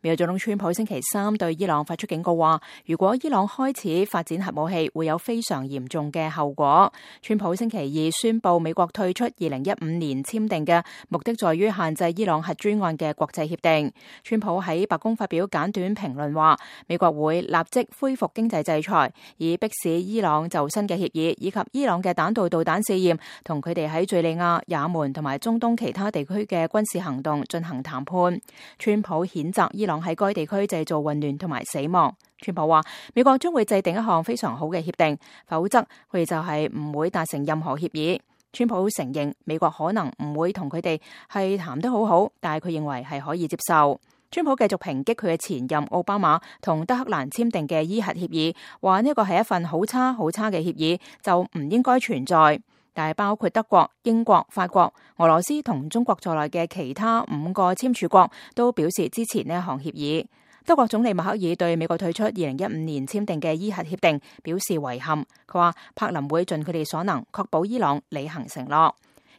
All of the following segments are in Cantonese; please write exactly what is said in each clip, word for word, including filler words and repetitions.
美國總統川普星期三對伊朗發出警告話，如果伊朗開始發展核武器，會有非常嚴重嘅後果。川普星期二宣布美國退出二零一五年簽訂嘅目的在於限制伊朗核專案嘅國際協定。川普喺白宮發表簡短評論話，美國會立即恢復經濟制裁，以迫使伊朗就新嘅協議以及伊朗嘅彈道導彈試驗同佢哋喺敘利亞、也門同埋中東其他地區嘅軍事行動進行談判。川普譴責伊朗喺該地區製造混亂同埋死亡。川普話，美國將會制定一項非常好嘅協定，否則佢哋就係唔會達成任何協議。川普承認美國可能唔會同佢哋係談得好好，但係佢認為係可以接受。川普繼續抨擊佢嘅前任奧巴馬同德黑蘭簽訂嘅伊核協議，話呢個係一份好差好差嘅協議，就唔應該存在。但係包括德國、英國、法國、俄羅斯同中國在內嘅其他五個簽署國都表示支持呢一項協議。德國總理默克爾對美國退出二零一五年簽訂嘅伊核協定表示遺憾，佢話柏林會盡佢哋所能確保伊朗履行承諾。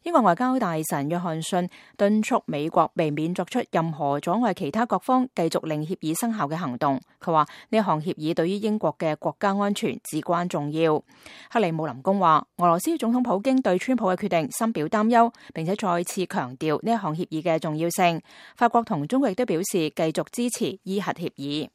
英國外交大臣約翰遜敦促美國避免作出任何阻礙其他各方繼續令協議生效嘅行動。佢話呢項協議對於英國嘅國家安全至關重要。克里姆林宮話，俄羅斯總統普京對川普嘅決定深表擔憂，並且再次強調呢一項協議嘅重要性。法國同中國亦都表示繼續支持伊核協議。